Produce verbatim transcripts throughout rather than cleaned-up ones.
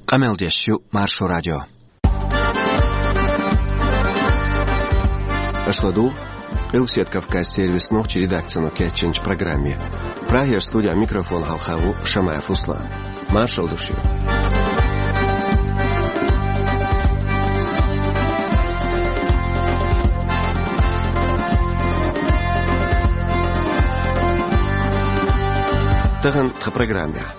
Къамел деш ю Маршо радио. Аша ладугӀу Къилбаседа Кавказан сервисан нохчийн редакцино кечйинчу программе. Прагера студехь микрофон хьалха ву Шамаев Руслан. Маршалла ду шуьга. Тахана тхан программехь.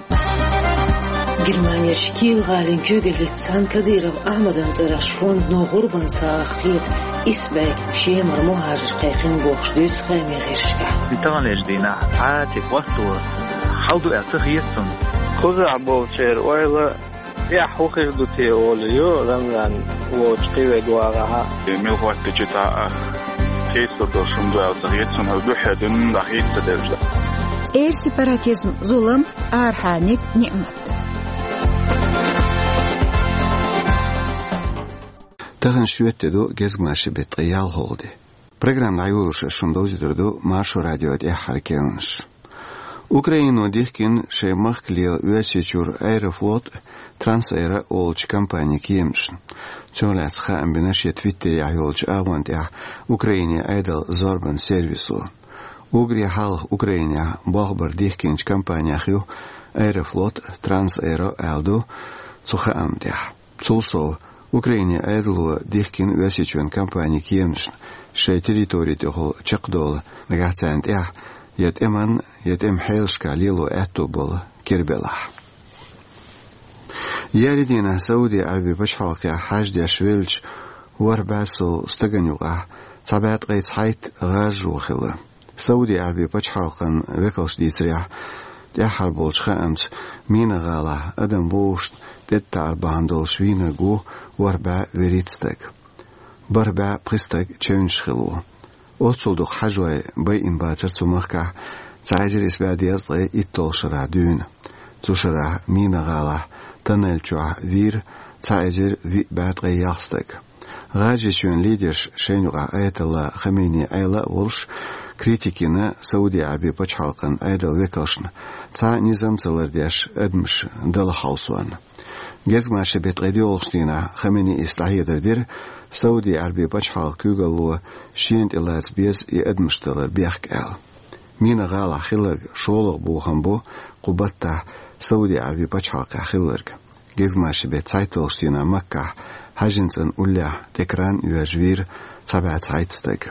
Германерчу Киел-гӀалин куьйгаллица цхьаьна Кадыров Ахьмадан цӀерагӀчу фондано гӀурбан сагӀа кхета исс бӀе шемара мухӀажар кхайкхина бохуш дуьйцу хаамийн гӀирсашкахь. Таханлерчу дийнахь цхьа а тӀе хӀотто хьал ду аьлла ца хета цунна. Кхузахь болчеран ойла тӀехь хӀун хир ду те олу ю Рамзан волчу кхин верг вагӀахь. Мила хӀотто чу тӀе а хийцалур долуш хӀума ду аьлла ца хета цунна, хӀара дуьххьара дуьненна дӀахийца ца дерза. ЦӀера сепаратизм зулам, арахьарниг ниӀмат. Тахана шоьтан де ду, гезгмашин беттан ткъе ялхалгӀа де. Программа дӀайолош ас шуна довзуьйтур ду Маршо радион тӀаьххьара керланаш. Украино дихкина шайн махкалера Оьрсийчуьра Аэрофлот, Трансаэро олучу компанийн кеманашна. Цунах лаьцна хаам бина шен Твиттерехь йолчу агӀон тӀехь Украинин Ӏедалан зорбанан сервисо. Уггаре хьалха Украинехь болх бар дихкинчу компаниях ю Аэрофлот, Трансаэро аьлла ду цу хаам тӀехь. Цул сов, Украинин Ӏедало дихкина Оьрсийчоьнан компанийн кеманашна шайн территори тӀехула чекхдовла, нагахь царна тӀехь я тӀеман, я тӀеман хьелашкахь лело аьтто болу кира белахь. Еарин дийнахь Сауди Ӏаьрбийн пачхьалкхехь хьаьж деш веллачу ворхӀ бӀе сов стагана юкъахь цхьа бӀе ткъе цхьайтта гӀажо хилла. Сауди Ӏаьрбийн пачхьалкхан векалша дийцарехь, тӀаьххьара болчу хаамца Мина-гӀалахь адам вовшашна тӀетӀатаӀар бахьана долуш вийнарг ву ворхӀ бӀе вуьрхӀитта стаг. БархӀ бӀе пхи стаг чевнаш хилла ву. Оццул дукха хьажой байина бацара цу махкахь цхьа эзар исс бӀе дезткъе итталгӀачу шарахь дуьйна. Цу шарахь Мина-гӀалахь тоннель чохь вийра цхьа эзар виъ бӀе ткъе ялх стаг. ГӀажарийчоьнан лидерша шайна юкъахь аятолла Хаменеи Ӏела а волуш, критика йина Сауди Ӏаьрбийн пачхьалкхан Ӏедалан векалшна, цхьа а низам ца лардеш адамаш дала хьовсорна. Гезгмашин беттан ткъе доьалгӀачу дийнахь Хаменеис дӀахьедар дира, Сауди Ӏаьрбийн пачхьалкхан куьйгалло шена тӀе лаца беза и адамаш далар бехк аьлла. Мина-гӀалахь хилларг шолгӀа бохам бу кху баттахь Сауди Ӏаьрбийн пачхьалкхехь хилларг. Гезгмашин беттан цхьайтталгӀачу дийнахь Маккахь хьаьжцӀанан уллехь тӀе кран а йоьжна вийра цхьа бӀе цхьайтта стаг.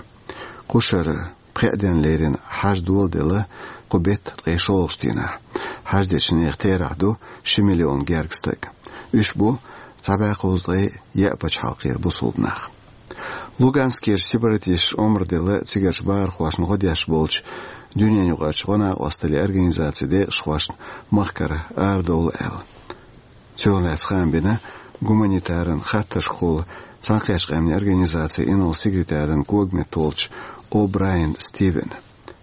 Кху шарахь пхеа денна лерина хьаьж доладелла кху беттан ткъе шолгӀачу дийнахь. Хьаьж дечу нехан терахь ду ши миллион гергга стаг. Уьш бу цхьа бӀе кхузткъе яа пачхьалкхера бусулба нах. Луганскера сепаратисташа омра делла цигарчу бахархошна гӀо деш болчу дуьненаюкъарчу гӀо накъосталлин организацин декъашхошна махкара арадовла аьлла. Цунах лаьцна хаам бина гуманитаран хаттаршкахула Цхьаьнакхеттачу Къаьмнийн Организацин инарла секретаран когаметтахь волчу О'Брайен Стивена.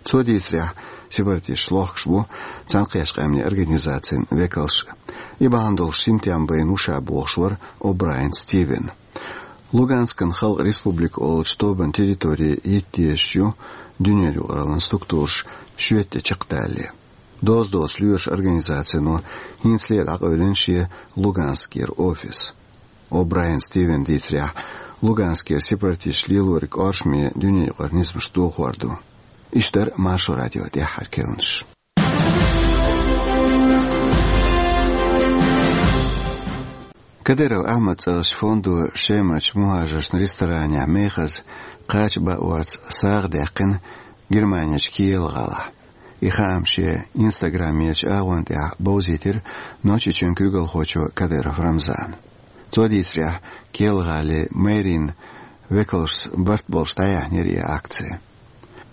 Цо дийцарехь, сепаратисташ лохкуш бу Цхьаьнакхеттачу Къаьмнийн Организацин векалш а. И бахьана долуш синтем байна ву ша бохуш вара О'Брайен Стивен. Луганскан халкъан республика олучу тобан территори йитта езаш ю дуьненаюкъараллин структураша шоьтан де чекхдалале. Доза доцу лоьраша организацино хӀинцале дӀакъевлина шен Луганскера офис. О'Брайен Стивена дийцарехь, Луганскера сепаратисташа лелориг оршаме дуьненаюкъара низамаш дохор ду. Иштта дара Маршо радион тӀаьххьара керланаш. Кадыров Ахьмадан цӀерагӀчу фондо Шемарчу мухӀажаршна ресторанехь мехаза кхача баорца сагӀа даьккхина Германерчу Киел-гӀалахь. И хаам шен Instagram-ерчу агӀон тӀехь бовзийтира Нохчийчоьнан куьйгалхочо Кадыров Рамзана. Цо дийцарехь, Киел-гӀалин мэрин векалшца барт болуш дӀаяьхьнера и акци.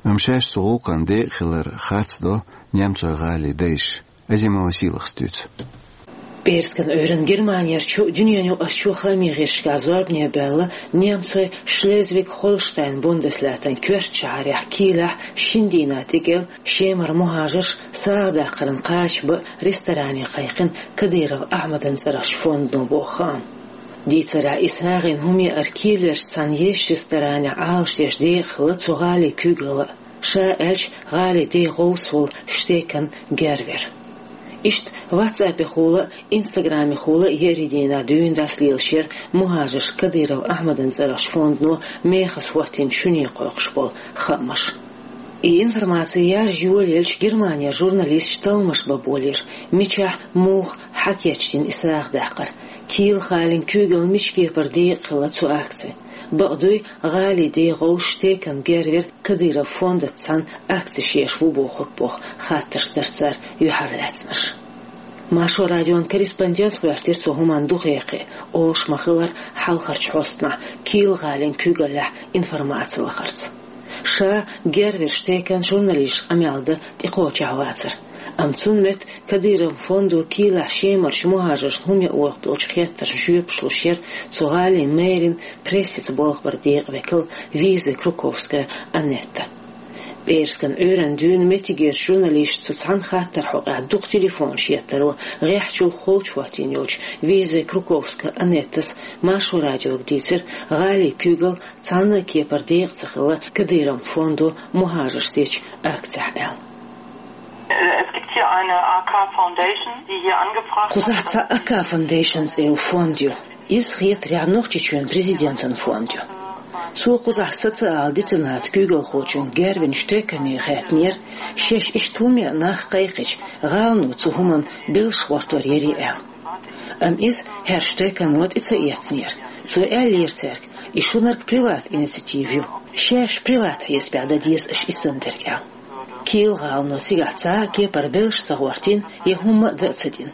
Амма шаьш цу гӀуллакхна декъахь хилар харцдо немцойн гӀалин дайша. Азимова Сийлахас дуьйцу. ПӀераскан Ӏуьйранна Германерчу, дуьненаюкъарчу хаамийн гӀирсашкахь зорбане баьлла немцойн Шлезвиг-Холштайн бундеслаьттан коьртачу шахьарехь Киелехь шина дийнахь тӀекӀел Шемара мухӀажарш сагӀа даккхарна кхача баа ресторане кхайкхина Кадыров Ахьмадан цӀерагӀчу фондано боху хаам. Дийцарехь, и сагӀина хӀума яар Киелерчу цхьана езачу ресторанехь Ӏалашдеш декъахь хилла цу гӀалин куьйгалла а. Ша аьлча, гӀалин ден гӀовс волу штекан гервер. Иштта WhatsApp-ехула, Instagram-ехула ерригдийнахь дуьйна дӀасалелаш яра мухӀажарш Кадыров Ахьмадан цӀерагӀчу фондо мехаза хӀоттийна шуьне кхойкхуш болу хаамаш. И информаци яржа йолаелча, Германера журналисташ талламаш бан болийра, мичахь, муха, хьан кечдина и сагӀа даккхар, Киел-гӀалин куьйгалла мича кепара декъахь хилла цу акци. Бакъ дуй, гӀалин дегӀ вовшах текан гервер Кадыров фондаца цхьаьна акцеш еш ву бохург боху хаттарш дара цара юьхьарлаьцнарш. Маршо радион корреспондента гӀоьртира цу хӀуманна дукха хьекхе, олуш ма-хиллара, хьалхарчу хьостанахь Киел-гӀалин куьйгаллехь информаци лахарца. Ша герверш текан журналисташ къамел дан тӀекхочехь вацара. Амма цунна метта Кадыровн фондо Киелехь Шемарчу мухӀажаршна хӀума ян оьхуш долчу хеттаршна жоьпаш луш яра цу гӀалин мэрин прессица болх бар декъан векал Виза Круковская Анетта. ПӀераскан Ӏуьйранна дуьйна меттигерчу журналисташа цу цхьана хаттаран хьокъехь дукха телефонаш еттаро гӀеххьачул холчу хӀоттийна йолчу Виза Круковская Анеттас Маршо радиога дийцира, гӀалин куьйгалла цхьана а кепара декъа ца хилла Кадыровн фондо мухӀажарш сецначу акцехь аьлла. Es gibt hier eine A K Foundation, die hier angefragt hat. Кхузахь цхьа А К Foundation цӀе йолу фонд ю. Иза хетарехь Нохчийчоьнан президентан фонд ю. Цо кхузахь социал-децаната куьйгалхочун гервинчу текане хаьттинера, шаьш иштта хӀума ян нах кхайкхича, гӀалано цу хӀуманна белш гӀортор ярий аьлла. Амма иза хӀерш текано тӀе ца эцнера. Цо аьллера цаьрга, и шуьнарг приват инициатива ю. Шаьш приват хьесапехь дан деза аша и санна дерг аьлла. Киел-гӀалано цигахь цхьа а кепара белш ца гӀортийна, я хӀумма а дан а ца дина.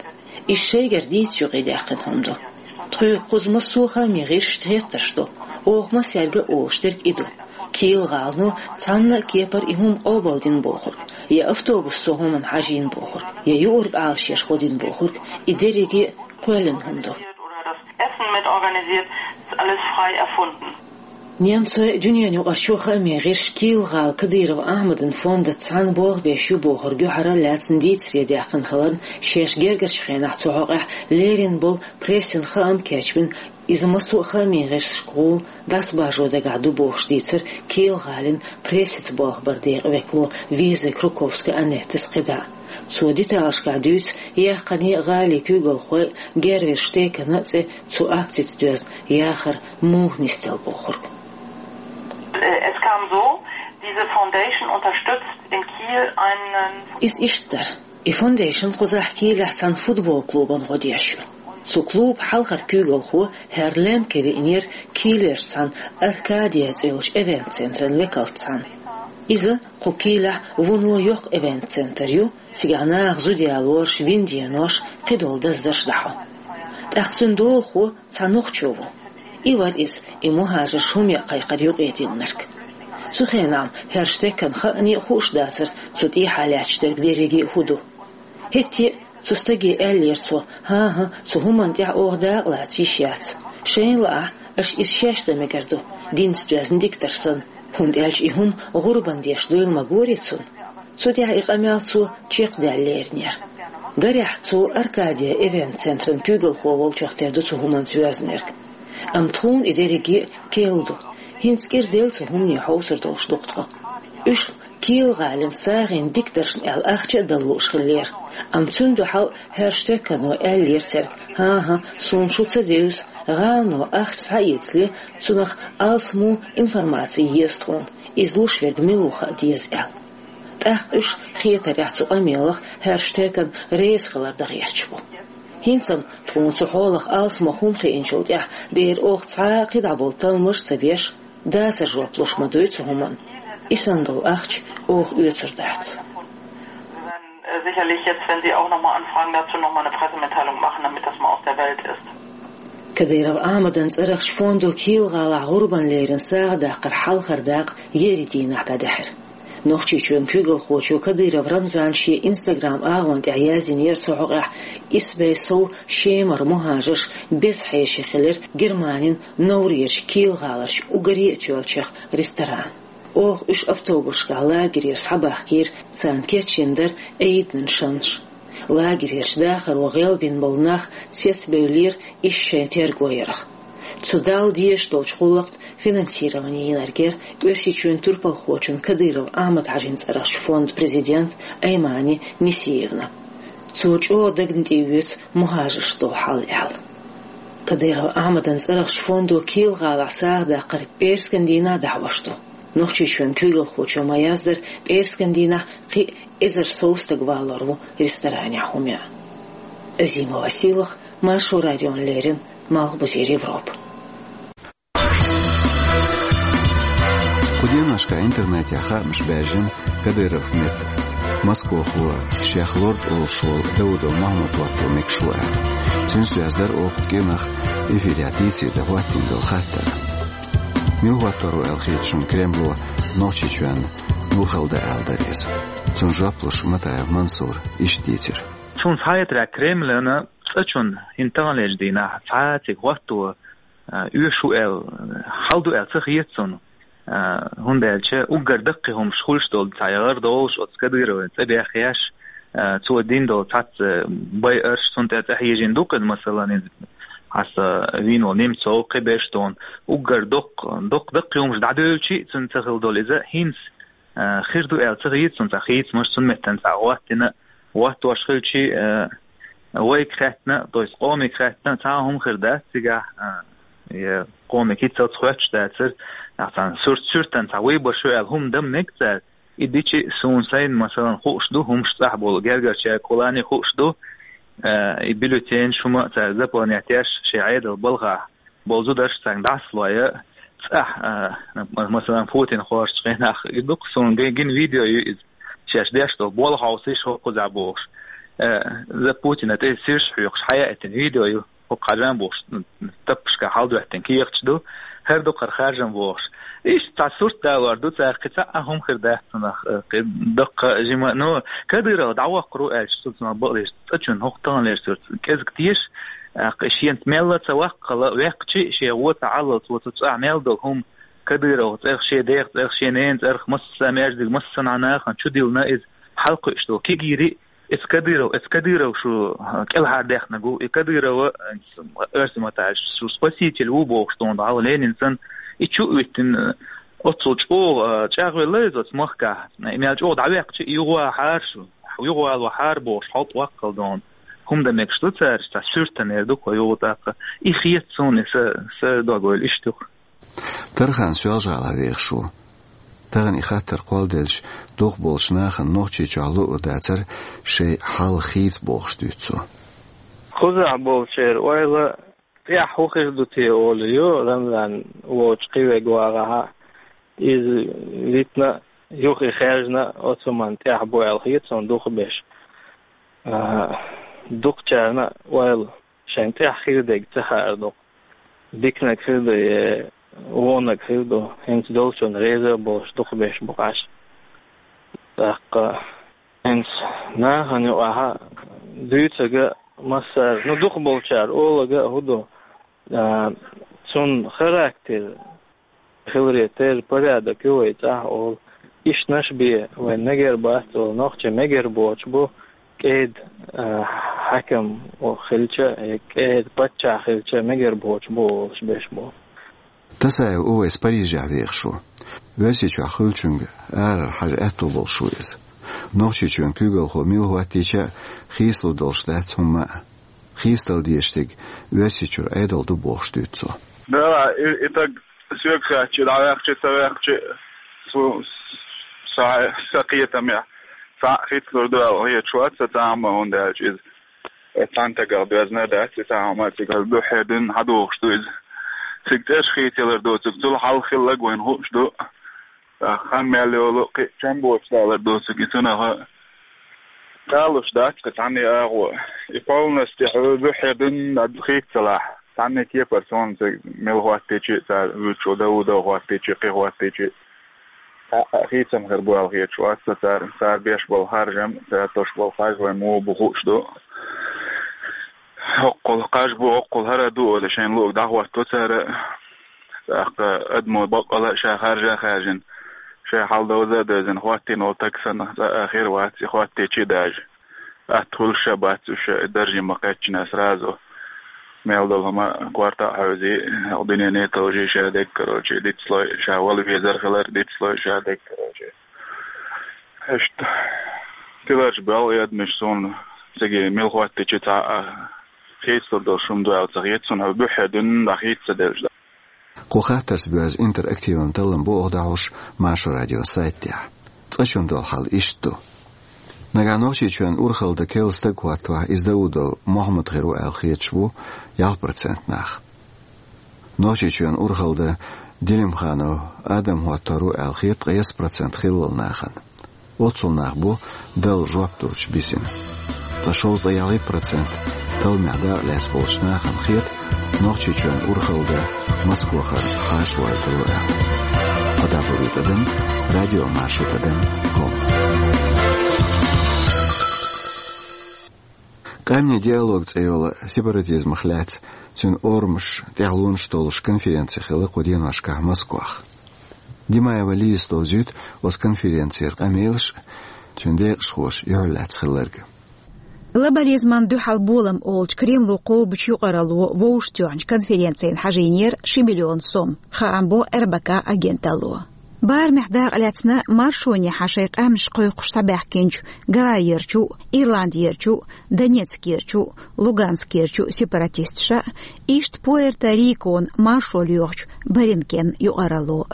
Иза шайгара дийцича юкъадаьккхина хӀума ду. Тхоьга кхуза массо а хаамийн гӀирсашца хеттарш ду. Оха массаьрга а олуш дерг и ду. Киел-гӀалано цхьанна а кепара и хӀума къобалдина бохург, я автобус цу хӀуманна хьажийна бохург, я юург Ӏалашъеш гӀо дина бохург, и дерриге а кхоьллина хӀума ду. Oder das Essen mit organisiert, ist alles frei erfunden. Немцойн а, дуьненаюкъарчу хаамийн гӀирсаша Киел-гӀала Кадыров Ахьмадан фондаца цхьаьна болх беш ю бохург юьхьарлаьцна дийцаре даьккхина хиларна, шаьш гергарчу хенахь цу хьокъехь лерина болу прессин хаам кечбина, иза массо а хаамийн гӀирсашка гӀур дӀасабаржо дагахь ду бохуш дийцира Киел-гӀалин прессица болх бар декъан векало Виза Круковская Анеттас кхидӀа. Цо деталашкахь дуьйцу, яхкане а гӀалин куьйгалхой а, герверш текана а цӀе цу акцица доьзна яхар муха нисделла бохург. Es kam so, diese Foundation unterstützt in Kiel einen. Иза иштта дара. И фондейшн кхузахь Киелехь цхьана футбол клубан гӀо деш ю. Цу клубан хьалхара куьйгалхо хӀара Лемке веанера Киелерчу цхьана Аркадия цӀе йолчу эвент-центран векалца цхьаьна. Иза кху Киелехь вуно йоккха эвент-центр ю, цигахь наха зуда ялораш, вин денош, кхидолу даздарш дӀахьо. ТӀаккха цуьнан долахо цхьа нохчо ву. И вара иза, и мухӀажарш хӀума ян кхайкхар юкъедиллинарг. Цу хенахь хӀара стекан хаъане а хууш дацара цу тӀехьа лаьтташ дерг дерриге а хӀун ду. ХӀетте а цу стаге аьллера цо: «ХӀан-хӀа, цу хӀуманна тӀехь оха дакъа лаца йиш яц. Шайна лаахь, аша иза шаьш дан мегар ду, динца доьзна диктор санна, хӀунда аьлча и хӀума гӀурбан деш дуйла ма гори цунна». Цу тӀехь и къамел цо чекхдаьлла леринера. Гарехь, цо Аркадия эвент-центран куьйгалхо волчух тера ду цу хӀуманца йоьзнарг. Амма тхуна и дерриге а керла ду. ХӀинца кӀира делла цу хӀумане хьовсур долуш ду-кх тхо. Уьш Киел-гӀалин сагӀина дикторшна аьлла ахча а дала лууш хиллера. Амма цуьнан дуьхьал хӀара стекано аьллера цаьрга: «ХӀан-хӀа, суна шу ца девза, гӀалано ахча схьаэцале, цунах алсамо информаци еза тхуна, иза луш верг мила ву хаа деза», — аьлла. ТӀаккха уьш хетарехь цу къамелах хӀара стекан реза хилар дан гӀерташ бу. ХӀинца-м тхуна цу хьолах алсамо хӀума хиъначул тӀаьхьа дера оха цхьа а кхидӀа болу талламаш а ца беш, дацара жоп луш ма дуй цу хӀуманна. И санна долу ахча оха оьцур дац. Sicherlich jetzt, wenn Sie auch noch mal anfragen, dazu noch mal eine Pressemitteilung machen, damit das mal aus der Welt ist. Кадыров Ахьмадан цӀерагӀчу фондо Киел-гӀалахь гӀурбан лерина сагӀа даккхар хьалхара дакъа еарин дийнахь дӀадаьхьира. Нохчийчоьнан куьйгалхочо Кадыров Рамзана шен Instagram агӀон тӀехь яздинера цу хьокъехь: «Исс бӀе сов шемара мухӀажарш беза хьеший хилира Германин новрерчу Киел-гӀаларчу уггаре а тоьллачех ресторан. Оха уьш автобусашкахь лагерера схьабахкийра, царна кечйина дара Ӏийданан шанаш. Лагерерчу дахаро гӀелбина болу нах цецбевллера иза шайн терго ярах. Цу Далла дезаш долчу гӀуллакхна финансировани йинарг яра Оьрсийчоьнан турпалхочун Кадыров Ахьмад-Хьаьжин цӀерагӀчу фондан президент Аймани Нисиевна. Цо чӀогӀа дагна тӀеоьцу мухӀажарш долу хьал аьлла. Кадыров Ахьмадан цӀарах фондо Кийла-ГӀалахь сагӀа даккхар пӀераскан дийнахь дӀахьош ду. Нохчийчоьнан куьйгалхочо ма-яздара, пӀераскан дийнахь кхин а эзар сов стаг валор ву ресторанехь хӀума ян. Азимова Сийлаха, Маршо радиона леррина, Малхбузера Европа. Кху деношкахь интернетехь хаамаш баьржина Кадыровн метта. Москвахо шех лорду олуш волу Даудов Мохьмад хӀотто мегаш ву аьлла. Цуьнца доьзна дара оха кӀиранах эфирехь дийцаре дан хӀоттийна долу хаттар. Мила хӀоттор ву аьлла хета шуна Кремло Нохчийчоьнна муха хила дан аьлла дара иза? Цунна жоп луш Матаев Мансура иштта дийцира. Цунна схьахетарехь, Кремлана цӀа чунна хӀинца таханлерчу дийнахь цхьа а цига хӀотто, а, оьшу аьлла, хьал ду аьлла ца хета цунна. А, хӀунда аьлча уггар даккхий хӀумаш хуьлуш долу цхьа я гӀар долуш оцу Кадыровн цӀа бехъеш, а, цо дина долу цхьацца байарш, цунна тӀе цӀа хьежийна ду-кх иза, масалан, иза хьаса вийна волу Немцов, кхин берш дона, уггар доккха, доккха даккхий хӀумаш дӀадевлчи а цунна ца хила долу иза хӀинца, а, хир ду аьлла ца хета цунна цхьа хийцамаш, цунна меттана цхьа хӀоттийна, хӀоттош хилчи, а, вайга хаьттина, то есть къомега хаьттина, цхьа а хӀума хир дац цигахь, а, я къомега хӀинццалц хоьттуш дацара, ахь цхьана суьрт-суьртана цхьа выбор ю аьлла хӀума дан мега цара. И дичи а суна сайна, масалан, хууш ду, хӀумаш цӀахь болу гергарчаьрга кхуллане хууш ду, а, и бюллетенаш, хӀума цара заполнять еш шайн Ӏедал балхахь болу зударш царна дӀасалой цӀахь, а, масалан, Путин кхочучу хенахь, и ду-кх суна ге-, гина видео ю иза, шаьш деш долу болх хьовсийша хӀокхузахь бохуш. А, за Путина тӀе сирш хьоькхуш, хьаяийтина видео ю, хӀокху хьажа бохуш, таппашкахь хьалдоьттина кехаташ ду, хӀара ду-кх хӀара харжам бохуш. Иштта цхьа сурт далор ду цара, кхин цхьа а хӀума хир дац цунах, а, кхин даккха жима. Ну, Кадыров дӀаваккхар ву аьлча, цу цунах бакъдерг цӀа чунна хӀокху таханлерчу сурт кӀезиг теша, а, кхин шена мелла а ца ваккхала, ваьккхичи а шен гӀо ца Ӏаллалц, цу цӀахь мел долу хӀума, Кадыровн цӀарах, шен дех цӀарах, шен ненан цӀарах, массо а маьждиг, массанхьа нахана чудиллина иза, хьалакхуьуш долу кегийрхой, иза Кадыров, иза Кадыров шу кӀелхьардаьхнарг ву, и Кадыров, оьрсийн маттахь аьлча, шу спаситель ву бохуш, тхуна дӀахьо Ленин санна, и чу а вуьттина, оццул чӀогӀа, а, чӀагӀвелла иза оцу махкахь, и мел чӀогӀа дӀаваьккхичи а юхавахьара шу, юхавалахьара бохуш, хьалта ваккхал дона. ХӀума дан мегаш ду цара, цхьа суьртанера ду-кх юха тӀаккха. И хета суна, и са, са дог ойла иштта ю-кх. Тархан Соьлжа-ГӀалахь вехаш ву. Тахана и хаттар кхолладелча, дукхахболчу нахана Нохчийчохь луур дацара шайн хьал хийца бохуш дуьйцу цо. Кхузахь болчеран ойла тӀехь хӀун хир ду те олу ю, Рамзан волчу кхин верг вагӀахь, иза витина, юха и хаьржина оцу хӀуманна тӀехь бу аьлла хета суна дукхахберш. А, дукхачарна ойла шайна тӀехь хир дерг ца хаар ду. Диканиг хир ду, е вониг хир ду, хӀинца долчунна реза а болуш дукхахберш бу-кх уьш. ТӀаккха хӀинца нахана юкъахь дуьйцург а массара, ну, дукхахболчара олург а хӀун ду, а, цуьнан характер хиларе терра порядок ю вай цӀахь олу. Ишттанаш бен вайн мегар бац олу, нохчийн мегар боцуш бу кӀеда, а, хьаькам хилча, я кӀеда паччахь хилча мегар боцуш бу олуш берш бу. Тасаев Увайс Парижехь вехаш ву. Оьрсийчохь хуьлучуьнга арара хьажа аьтто болуш ву иза. Нохчийчоьнан куьйгалхо мила хӀоттийча а, хийцалур долуш дац хӀумма а. Хийцадала дезаш дерг Оьрсийчуьра Ӏедал ду бохуш дуьйцу цо. Да, и, и таг соьга хаьттича, дӀаваьккхича, ца ваьккхича, цу, са, сан кхетамехь, цхьаъ хийцалур ду аьлла хеташ вац сан цхьа а хӀума, хӀунда аьлча иза, э, цхьана стагах доьзна а дац, и цхьа а хӀума цига дуьххьара дуьйна хьадогӀуш ду иза. Цига цӀераш хийцаялар доцург, цул хьалха хилларг вайна хууш ду. Ткъа хан мел йолу кхин а чам боцуш далар доцург и цунах а. Далуш дац кхин цхьанне а агӀо. И полностью хьо буьххье дуьнна хийцалахь, цхьанне кепара суна цига мила хӀоттийча а, цара вуьйцуш волу Даудов хӀоттийча а, кхин хӀоттийча а, цхьа а хийцам хир бу аьлла хеташ вац сан цара, цара беш болу харжам, цара тосуш болу харж вайн муха бу хууш ду. ХӀоккхул кхаж бу, хӀоккхул хӀара ду олий, шайн луъург дӀахӀотто цара. ТӀаккха адамо баккъала а ша харжа а хаьржина, шайн хьал довза а девзина, хӀоттийна волу стаг санна цкъа а хир вац, и хӀоттийча а даже. Атта хуьлуш а бац уьш, даржехь ма-кхаьччинехь сразу. Мел долу хӀума корта а хьаьвзи, хӀокху дуьнене а товжий ша дерг, короче, дицлой ша вала везар хилар, дицлой ша дерг, короче. Иштта тиларчу белхан адамаш суна Цига мел хӀоттича цхьа а хийцалур долуш хӀума ду аьлла ца хета суна, хьо буьххье дуьйна дӀахийца ца девлча. Кху хаттарца боьзна интерактиван таллам бу оха дӀахьош Маршо радион сайтехь. Цкъачунна долу хьал иштта ду. Нагахь Нохчийчоьнан урхалла дан керла стаг хӀоттавахь, иза Даудов Мохьмад хир ву аьлла хеташ бу ялх процент нах. Нохчийчоьнан урхалла дан Делимханов Адам хӀоттор ву аьлла хета ткъе исс процент хиллал нахана. Оццул нах бу Далла жоп луьрча бисина. Ткъа шовзткъе ялхитта процент талламехь дакъа лаьцна болчу нахана хета, Нохчийчоьнан урхалла дан Москвахара хьаша вайтур ву аьлла. Кхо дабур ю тӀадам, радио Маршо тӀадам ком. Къаьмнийн диалог цӀе йолу сепаратизмах лаьцна цуьнан орамаш тӀехь лунаш толлуш конференци хилла кху деношкахь Москвахь. Димаева Лизас довзуьйту оцу конференцера къамелаш а, цуьнан декъашхоша юьхьарлаьцна хилларг а. Глобализмана дуьхьал болам олучу Кремло кхобучу юкъаралло вовшахтоьхначу конференцина хьажийнера ши миллион сом, хаам бо РБК агенталло. Барамехь дакъа лаьцна маршонехьа шайн къаьмнаш кхойкхуш схьабаьхкинчу Гавайерчу, Ирландерчу, Донецкерчу, Луганскерчу сепаратисташа, иштта Пуэрто-Рикон маршо лоьхучу Баринкен юкъаралло.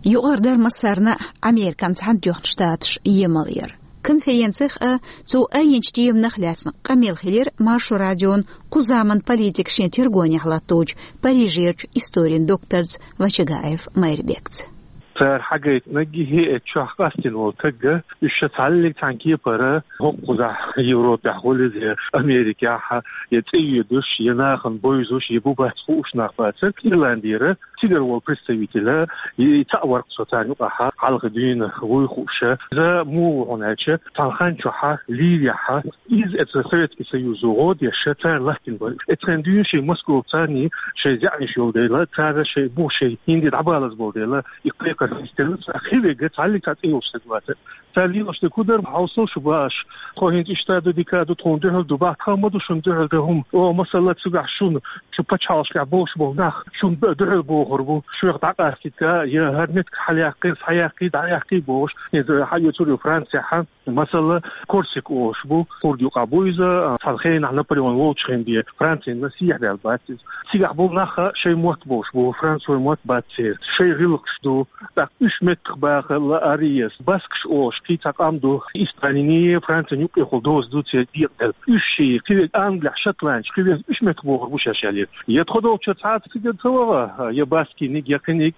Юкъара дара массарна а Американ Цхьаьнатоьхна Штаташ емал яра. Конференцих а, цо айинчу теманах лаьцна къамел хилира Маршо радион кху заман политика шен тергонехь латточу Парижерчу историн докторца Вачагаев Майрбекца. Цара хьагайтинарг хӀеъеччохь къастийна волу тагга, уьш ша цхьаьллиг цхьана кепара хӀокхузахь Европехь гӀуллизе, Америкехь я цӀе йоьдуш, я нахана бовзуш, я бу бац хууш нах бацара. Ирландера цигара волу представитель, и цхьаъ вара-кх со царна юкъахь хьалха дуьйна вуй хууша. Иза муха ву хьуна аьлча, цхьана хан чохь Ливехь, иза эцу Советский Союзо гӀо деш, цара латтийна бара. Эцхен дуьйна шайн Москвахь царний шайн заьӀнаш йолу дела, цара шайн бу шайн хӀинде дӀабалаза болу дела, и кхайкхар хӀинца делла, цара хи вега цхьаьллиг цхьа цӀе йолуш стаг вацара. Цара лелош дерг хӀун дара, хьовсал шу баш, тхо хӀинца иштта ду, дика ду, тхуна дуьхьал ду, бахьа ма ду шуна дуьхьал дан хӀума. О, масала, цигахь шуна, шу пачхьалкхашкахь болуш болу нах шуна дуьхьал бохур бу, шух дӀакъастийта, я хӀара меттиг хьалаяккхий, схьаяккхий, дӀаяккхий бохуш, иза хьаоьцур ю Францехь. Масала, Корсик олуш бу, кхурда юкъахь бу иза, цхьана хенахь Наполеон волчу хенахь бен Францина сехьа даьлла бац иза. Цигахь болу нах шайн мотт болуш бу, французойн мотт бац церан, шайн гӀиллакхаш ду, тӀаккха уьш меттах баха лаарий, баскаш олуш кхин цхьа къам ду, Испаниний, Францин юккъехула доза ду церан декъаделла. Уьш ши, кхин верг англехь, шотландцаш, кхин верг уьш меттах бохур бу шаьш аьлла. Я тхо долчуьра цхьа а цига ца ваха, я баскиниг, я кхиниг,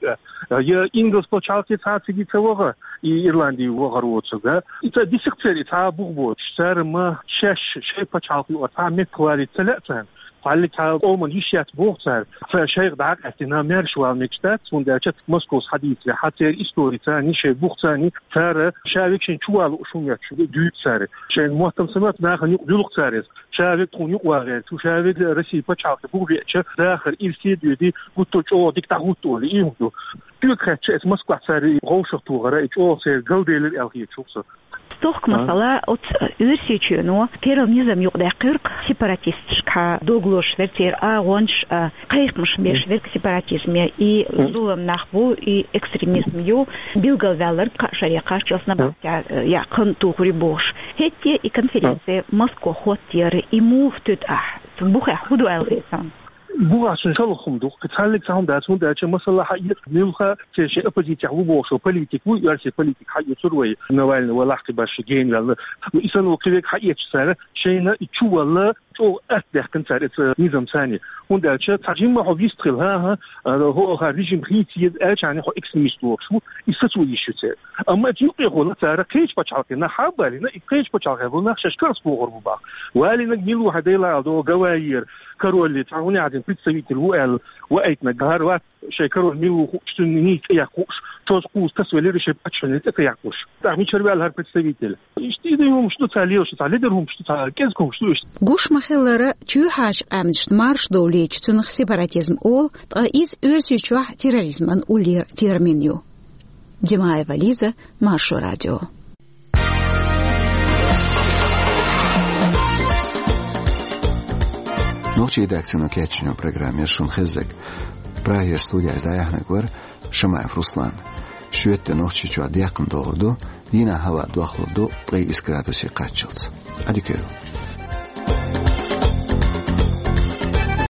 я ингалс пачхьалкхе цхьа а цига ца ваха, и Ирланди вахар воцург, а? И ца дисакх церан и цхьа а бух боцуш, цара ма шаьш шайн пачхьалкх юкъара цхьа а меттах валийта ца лаьа царна. Цхьаьллиг цхьа а къоман йиш яц боху цара. Цара шайх дӀакъаьстина, маьрша вала мегаш дац, хӀунда аьлча Москвас хьадийцале, хьан церан истори царний, шайн бух царний, цара ша векшин чу вала лууш хӀума моьттуш дуьйцу цара. Шайн моттам ца моьтту нахана юкъа дуьллу-кх цара иза. Ша век тхуна юкъа вагӀерчу, ша век Россия пачхьалкхе бух веача, дахар ирсе доьди, гуттар чӀогӀа дика дӀахӀутту олий, и хӀума ду. Тоьга хаьттича, эцу Москвахь цара и вовшахтохар, и чӀогӀа церан галделира аьлла хеташ ву со. Стохка, а, масала, оцу Оьрсийчоьно федерал низам юкъадаьккхира-кх сепаратисташкахьа дог лозуш верг, церан агӀонаш а, кхайкхамаш беш верг сепаратизме, и зулам нах бу, и экстремизм ю, билгалваьлларг кхаа шаре кхаччалц набахтехь, э, яккха хан тухур ю бохуш. ХӀетте и конференци Москва хӀоттаяра, и муха тоьту ахь? Цу бухехь хӀун ду аьлла хета? Бухахь цуьнан шалха хӀума ду. Кхин цхьаьллиг цхьа хӀума дац, хӀунда аьлча, масала, хьаэца муьлхха церан шайн оппозицехь ву бохуш, политик ву, оьрсийн политик хьаоьцура вай, Навальный валахь кхин башха гена ваьлла. И санна ву кхин верг хьаэцча цара, шайна и чу валла чӀогӀа атта даьккхина цара эцу низам царний. ХӀунда аьлча цхьа жимма хьо вистхила, хӀан-хӀа, а, хӀо, хӀара режим хийца еза аьлча, хьан хьо экстремист лоруш ву, и сацо йиш ю церан. Амма эцу юкъехула цара кхечу пачхьалкхийн нах хьа а балийна, и кхечу пачхьалкхехь болу нах шаьш карс бохур бу боху. Валийнарг мила ву хьан, Дела Ӏалашдо, Гавайера король цхьа хӀун яхьа дина представитель ву аьлла, ваийтинарг хӀара вац, шайн король мила ву хууш, цуьнан нийса цӀе яккха хууш, чоза кхуза тасавелира шайн паччахьна цӀе ца яккхалуш. ТӀаккха мичара ваьлла хӀара представитель? Иштта и дан хӀумаш ду цара лелаш, цхьа ледара хӀумаш ду, цхьа кӀезиг хӀумаш ду иштта. Гуш ма-хиллара, чоьхьарчу къаьмнашна марша довлийча, цунах сепаратизм олу, ткъа иза Оьрсийчохь терроризман уллера термин ю. Димаева Лиза, Маршо радио. Нохчийн редакцино кечйинчу программера шуна хезнарг. Прагера студехь дӀаяьхьнарг вара Шамаев Руслан. Шоьтан де Нохчийчохь деккхана догӀур ду, дийнахь хӀаваъ дохлур ду ткъе исс градусе кхаччалц. Ӏадика йойла.